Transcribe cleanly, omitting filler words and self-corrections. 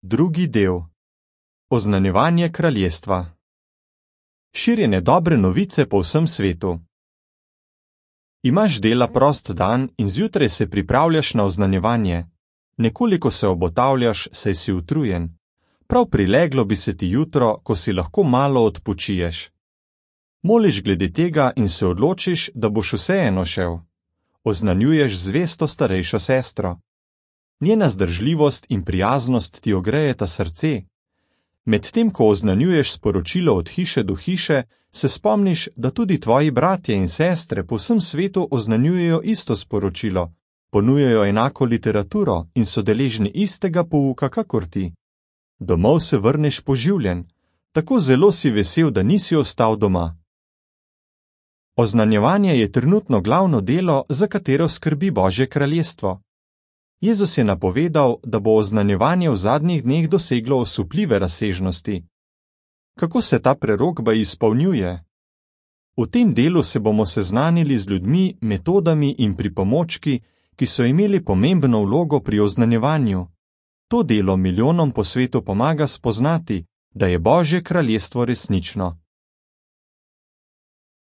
Drugi del. Oznanjevanje kraljestva. Širjenje dobre novice po vsem svetu. Imaš dela prost dan in zjutraj se pripravljaš na oznanjevanje. Nekoliko se obotavljaš, saj si utrujen. Prav prileglo bi se ti jutro, ko si lahko malo odpočiješ. Moliš glede tega in se odločiš, da boš vseeno šel. Oznanjuješ zvesto starejšo sestro. Njena zdržljivost in prijaznost ti ogrejeta srce. Medtem ko oznanjuješ sporočilo od hiše do hiše, se spomniš, da tudi tvoji bratje in sestre po vsem svetu oznanjujejo isto sporočilo, ponujajo enako literaturo in so deležni istega pouka kakor ti. Domov se vrneš poživljen, tako zelo si vesel, da nisi ostal doma. Oznanjevanje je trenutno glavno delo, za katero skrbi Božje kraljestvo. Jezus je napovedal, da bo oznanjevanje v zadnjih dneh doseglo osupljive razsežnosti. Kako se ta prerokba izpolnjuje? V tem delu se bomo seznanili z ljudmi, metodami in pripomočki, ki so imeli pomembno vlogo pri oznanjevanju. To delo milijonom po svetu pomaga spoznati, da je Božje kraljestvo resnično.